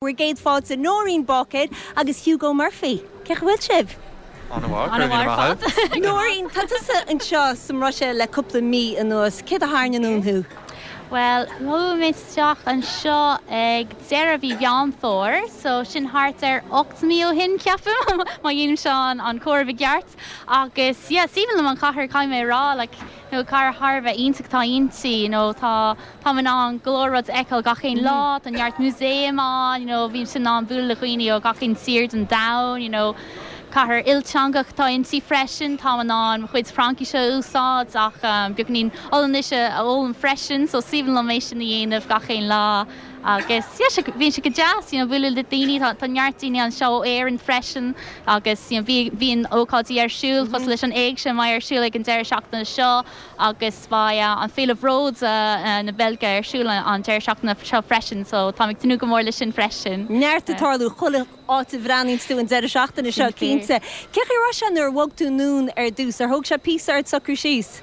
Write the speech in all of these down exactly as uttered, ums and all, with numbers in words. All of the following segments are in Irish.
Bhur gcéad fáilte Nóirín Báicéir agus Hugo Murphy. Cén chaoi a bhfuil sibh? An-mhaith. Nóirín, tá tusa anseo sa mBruiséil le cúpla mí anuas, céard a tharraing anonn thú? Well, chuaigh mé isteach anseo ag deireadh mhí Mheán Fómhair, so sin thart ar ocht mí ó shin ceapaim má dhéanaim seo an an comhaireamh i gceart agus yeah, is aoibhinn liom an chathair caithfidh mé rá like, nó cathair thar a bheith iontach atá inti, you know, tá tá in ann go leor rud a fheiceáil gach aon lá, tá neart músaem ann, you know, bíonn in ann bualadh le dhaoine ó gach aon tír den domhan, you know, Cathair ilteangach atá inti freisin, tá in ann chuid Fraincise a úsáid ach um, beagáinín Ollainnise a fhoghlaim freisin, so is aoibhinn liom é sin a dhéanamh gach aon lá. agus bíonn sé go deas you know, bualadh le daoine tá neart daoine anseo ó Éirinn freisin agus you know, bhíonn ócáidí ar siúl mm -hmm. leis an éigse mar ar siúl ag an deireadh seachtaine seo agus beidh uh, an Féile Bród uh, uh, na Beilge ar siúl an deireadh seachtaine seo freisin, so tá tnúth go mór leis sin freisin. Neart ag tarlú chuile áit a bhreathnaíonn tú an deireadh seachtaine seo cinnte. Cé ra se nuair bhog tú anonn ar dtús ar thóg sé píosa ort socrú síos?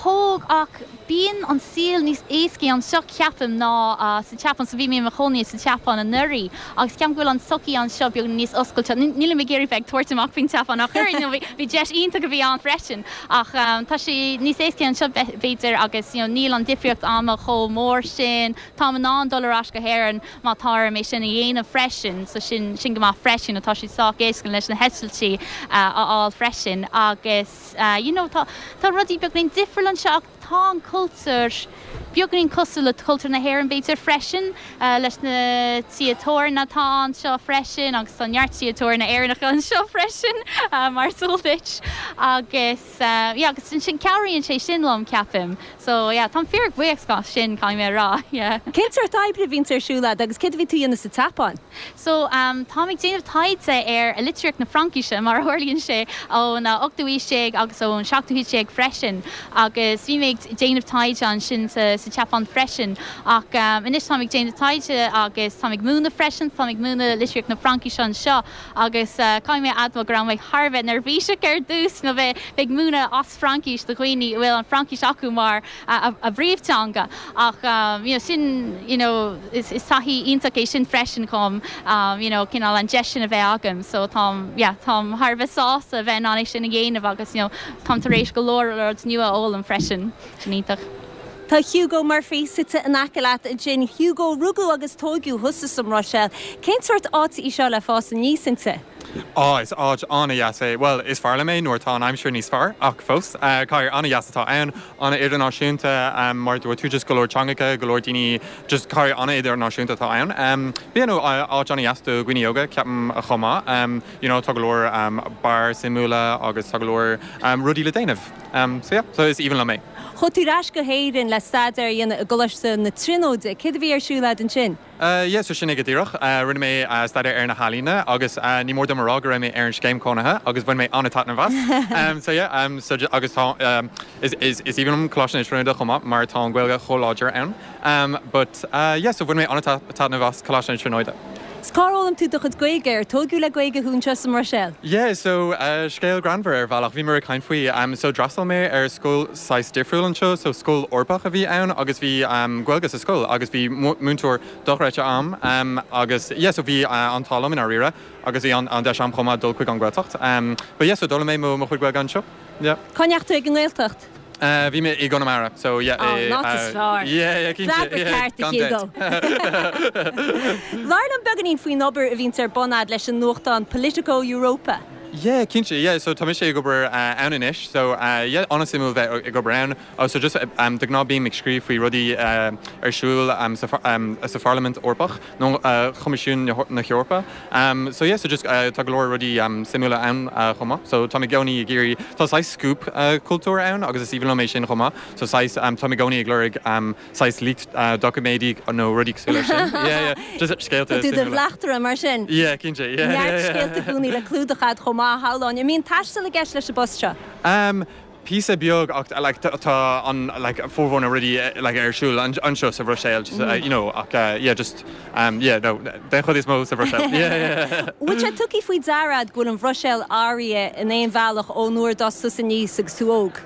Thóg ach bíonn an saol níos éasca anseo ceapaim ná uh, sa tSeapáin so bhí mé i mo chónaí sa tSeapáin anuraidh agus ceapaim go bhfuil an tsochaí anseo beag níos oscailte níl mé ag iarraidh bheith tabhairt amach faoin tSeapáin ach bhí deis iontach a bhí ann freisin ach um, tá sé níos éasca anseo b'fhéidir agus you know, níl an difríocht ama chomh mór sin Tá in ann dul ar ais go hÉirinn má tá mé sin a dhéanamh freisin so sin sin go maith freisin atá sé sách éasca leis na heitiltí uh, a fháil freisin agus uh, you know, tá tá rudaí beagáinín difriúil anseo ach tá an cultúr beagáinín cosúil le cultúr na hÉireann b'fhéidir freisin uh, leis na tithe tábhairne atá anseo freisin agus tá neart tithe tábhairne Éireannacha anseo freisin uh, mar duit agus uh, yeah, agus sin cabhraíonn sé sin liom ceapaim so yeah, tá fíorbhuíoch sin caithfidh mé rá yeah. Cén sórt oibre a bhíonn ar siúl agat agus céard a bhí tú a dhéanamh sa tSeapáin? So um, tá ag déanamh taighde ar a litríocht na Fraincise mar a tharlaíonn sé ón ochtú haois déag agus ón seachtú haois déag freisin agus bhí mé ag déanamh taighde ansin sa, sa tSeapáin freisin ach um, anois tá ag déanamh taighde agus tá ag múineadh freisin tá ag múineadh litríocht na Fraincise anseo agus uh, caithfidh mé admháil go raibh mé thar a bheith neirbhíseach ar dtús nó bheith ag múineadh as Fraincis do dhaoine bhfuil an Fraincis acu mar a, a, a bpríomhtheanga ach um, you know, sin you know, is, is taithí iontach é sin freisin chun um, you know, cineál an deis sin a bheith agam, so tá yeah, táim thar a bheith sásta bheith an sin a dhéanamh agus you know, táim tar éis go leor rud nua a fhoghlaim freisin sin iontach. Tá Hugo Murphy suite in aice leat ansin Hugo rugadh agus tógadh thusa sa mBruiséil. Cén sórt áit í seo le fás aníos inti? Á is áit an-deas é well is fearr liom é nuair tá an aimsir níos fearr ach fós uh, cathair an-deas atá ann an-idirnáisiúnta um, mar dúirt tú just go leor teangacha go leor daoine just cathair an-idirnáisiúnta atá ann. Um, Bíonn áit an-deas do dhaoine óga ceapaim a chomh maith um, you know, tá go leor um, beáir suimiúla agus tá go leor um, rudaí le déanamh. Um, so, yeah, so is aoibhinn liom é. Chuaigh tú ar ais go hÉirinn le staidéar a dhéanamh i gColáiste na Tríonóide, Céard a bhí ar siúl agat ansin? Uh, yeah, so sin é go díreach uh, rinne mé uh, staidéar ar na healaíona agus uh, ní mór dom a rá go raibh mé ar an scéim cónaithe agus bhain mé an-taitneamh as. um, so yeah, um, so agus tá um, is, is, is aoibhinn liom Coláiste na Tríonóide chomh maith mar tá an Ghaeilge chomh láidir ann. Um, but uh, yeah, so bhain mé an-taitneamh as Coláiste na Tríonóide. Cár fhoghlaim tú do chuid Gaeilge ar tógadh le Gaeilge thú anseo sa mBruiséil? Yeah, so uh, scéal greannmhar ar bhealach bhí mé ag caint faoi um, so d'fhreastail mé ar scoil saghas difriúil anseo, so scoil Eorpach a bhí ann agus bhí um, Gaeilge sa scoil agus bhí múinteoir dochreidte ann um, agus yeah, so bhí uh, an t-ádh liom in áiríre agus bhí an, an deis agam chomh maith dul chuig an Ghaeltacht. Um, but yeah, so d'fhoghlaim mé mo mo chuid Gaeilge anseo. Yeah. Cá ndeachaigh tú ag an nGaeltacht? Uh, bhí mé i gConamara, so yeah, oh, not as far. Yeah, yeah, yeah, Hugo. Labhair liom beagáinín faoin obair a bhíonn ar bun agat leis an nuachtán Politico Europa. Yeah, cinnte, yeah, so tá mise ag obair uh, ann anois, so uh, yeah, an-suimiúil bheith ag obair ann. Oh, so just um, de ghnáth bím ag scríobh faoi rudaí uh, ar siúl um, sa, um, sa Pharlaimint Eorpach nó uh, Choimisiún na hEorpa. Um, so yeah, so just uh, tá go leor rudaí um, suimiúla ann uh, chomh maith. So tá i gcónaí ag iarraidh tá saghas scoop uh, cultúr ann agus is aoibhinn liom é sin chomh maith. So saghas um, tá i gcónaí ag lorg um, saghas leaked uh, doiciméidí nó rudaí cosúil leis sin. Yeah, yeah, just scéalta. Tú do bhleachtaire mar sin. Yeah, cinnte, yeah. Neart scéalta i gcónaí le clúdach agat chomh maith Háláin, an mbíonn taisteal i gceist leis an bpost seo. Um, Píosa beag ach like, tá an like, formhór na rudaí like, ar siúl anseo sa Bhruiséil just, uh, you know, ach uh, yeah, just um, yeah, no, den chuid is mó sa Bhruiséil. yeah, yeah. Bhfuil sé tugtha faoi deara go bhfuil an Bhruiséil athraithe in aon bhealach ón uair d'fhás tú aníos agus tú óg.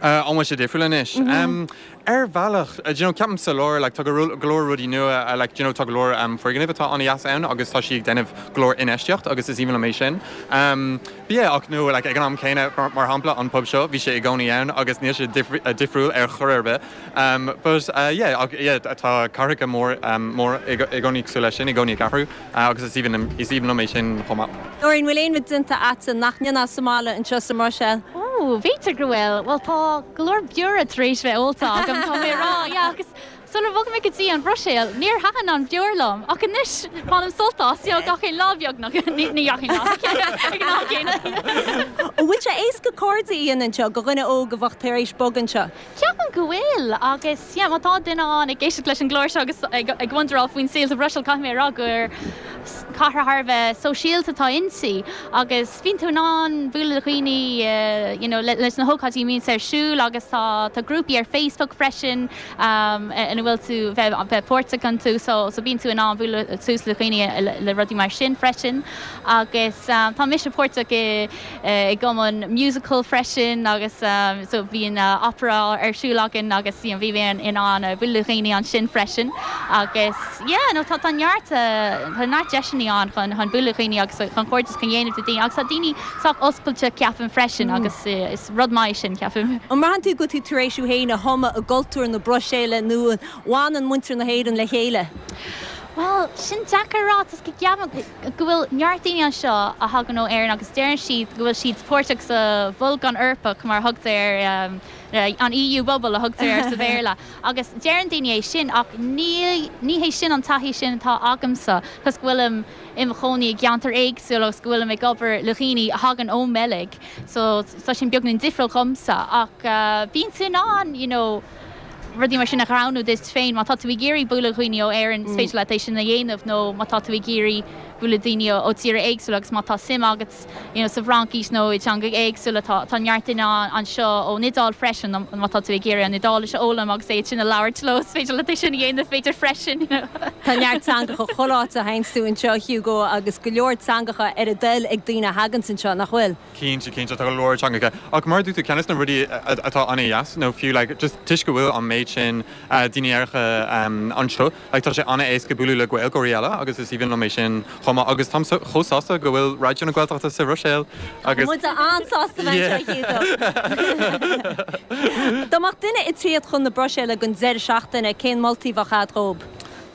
Uh, an bhfuil sé difriúil anois. Mm -hmm. um, Ar bhealach you know, ceapaim sa lár like, tá go leor rudaí nua uh, like, you know, tá go leor um, foirgnimh atá an-deas ann agus tá sí ag déanamh go leor infheistíocht agus is aoibhinn liom é sin. Um, yeah, ach nó like, ag an am céanna mar, mar shampla an pub seo bhí sé i gcónaí ann agus níl sé difri, uh, difriúil ar chor ar bith. Um, but uh, yeah, ach, yeah, tá cathracha mór um, mór i gcónaí cosúil leis sin i gcónaí ag athrú uh, agus is aoibhinn is aoibhinn liom é sin chomh maith. Nóirín bhfuil aon rud déanta agatsa nach ndéanfá sa mbaile anseo sa mBruiséil. Ó, b'fhéidir go bhfuil, well tá go leor beoir tar éis bheith ólta agam tá mé rá yeah, agus Sular bhog mé go dtí an Bhruiséil, níor thaitin an bheoir liom ach anois bainim sult as gach aon lá beagnach ní gach aon lá ag an am céanna. An bhfuil sé éasca cairde a dhéanamh anseo do dhuine óg a bheadh tar éis bogadh anseo. Ceapaim go bhfuil agus yeah, má tá duine ann ag éisteacht leis an gclár seo agus ag, ag wonderáil faoin saol sa Bhruiséil caithfidh mé rá gur cathair thar a bheith sóisialta atá inti agus bíonn tú in ann bualadh le daoine uh, you know, le, leis na hócáidí a bhíonn ar siúl agus tá tá grúpaí ar Facebook freisin um, ina bhfuil tú bheith bheith páirteach iontu so, so bíonn tú in ann bualadh suas le daoine le, le rudaí mar sin freisin agus um, tá mise páirteach i, i gcumann musical freisin agus um, so bhíonn uh, opera ar siúl againn agus you know, bhí in, in ann uh, bualadh le daoine ansin freisin agus yeah, no, tá tá neart uh, tá neart deiseanna ann chun chun bualadh le daoine agus chun cairdeas a dhéanamh le daoine agus tá daoine sách oscailte ceapaim freisin mm. agus uh, is rud maith sin ceapaim. An mbraitheann tú go bhfuil tú tar éis thú féin a thumadh i gcultúr na Bruiséile nó an bhfanann muintir na hÉireann le chéile. Well, sin deacair rá go gceapaim go bhfuil neart daoine anseo a thagann ó Éirinn agus deireann siad go bhfuil siad páirteach sa bholgán Eorpach mar thugtar um, an EU bubble a thugtar ar sa Bhéarla. agus deireann daoine é sin ach ní ní hé sin an taithí sin atá agamsa, Cos go bhfuilim i mo chónaí i gceantar éagsúil agus go bhfuilim ag obair le daoine a thagann ón mBeilg, so tá sin beagáinín difriúil domsa ach uh, bíonn tú in ann you know, rudaí mar sin a roghnú duit féin má tá tú ag iarraidh bualadh le daoine ó Éirinn mm. féidir leat é sin a dhéanamh nó má tá tú ag iarraidh bualadh le daoine ó tíortha éagsúla agus má tá suim agat you know, sa Fhraincis nó i teanga éagsúla tá tá neart daoine anseo ón Iodáil freisin má tá tú ag iarraidh an Iodáilis a fhoghlaim agus é sin a labhairt leo féidir leat é sin a dhéanamh féidir freisin. You know. Tá neart teangacha choláte hainstú anseo Hugo agus go leor teangacha ar a dtoil ag daoine a thagann anseo nach bhfuil. Cinnte cinnte tá go leor teangacha ach mar dúirt tú ceann de na rudaí atá an-deas nó fiú like, just toisc go bhfuil an méid sin uh, daoine Éireannacha um, anseo like, tá sé an-éasca bualadh le Gaeilgeoirí eile agus is aoibhinn liom é sin chomh maith agus táim chomh sásta go bhfuil Raidió na Gaeltachta sa Bhruiséil agus Muid an-sásta Hugo. Dá mbeadh duine ag tíocht chun na Bruiséile don deireadh seachtaine cén moltaí a bheadh agat dóibh.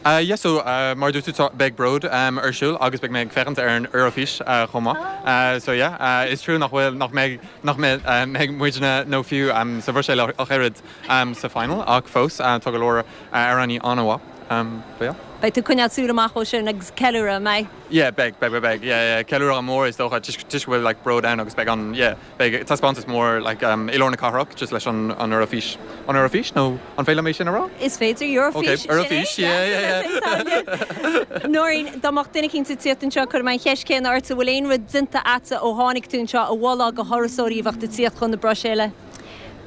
Uh, yes, so uh, mar dúirt tú beidh Bród um, ar siúl agus beidh mé ag féachaint ar an Eurofís uh, chomh maith. Uh, so yeah, uh, is trua nach bhfuil nach mbeidh nach mbeidh uh, mbeidh muidne nó fiú um, sa Bhruiséil ach oiread um, sa final ach fós uh, tá go leor uh, amhránaí an-mhaith. Um, but yeah. Beidh tú coinneáil súil amach dó sin agus ceiliúradh mé. Yeah, beidh beidh beidh beidh yeah, yeah, ceiliúradh mór is dócha just just bhfuil like Bród ann agus beidh an yeah, beidh taispeántas mór like um, i lár na cathrach just leis an an Eurofís. An Eurofís nó an féidir mé sin a rá? Is féidir Eurofís. Okay, Eurofís, yeah, yeah, yeah. Nóirín dá mbeadh duine éicint ag tíocht anseo chuir mé an cheist chéanna ort bhfuil aon rud déanta agatsa ó tháinig tú anseo a mholfá do thurasóirí a bheadh ag tíocht chun na Bruiséile.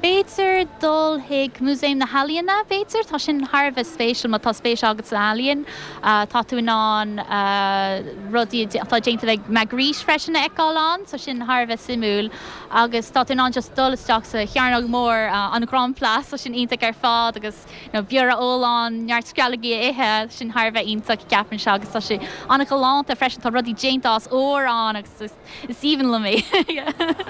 B'fhéidir dul chuig Músaem na hEalaíne b'fhéidir tá sin thar a bheith spéisiúil má tá spéis agat san ealaín uh, tá tú in ann uh, rudaí atá déanta ag Magritte freisin a fheiceáil ann, so sin thar a bheith suimiúil agus tá tú in ann just dul isteach sa chearnóg mór uh, an Grand Place so sin iontach ar fad agus you know, beoir a ól ann neart sceallógaí a ithe sin thar a bheith iontach ceapaim se agus tá sé an-ghalánta freisin tá rudaí déanta as ór ann agus is aoibhinn liom é.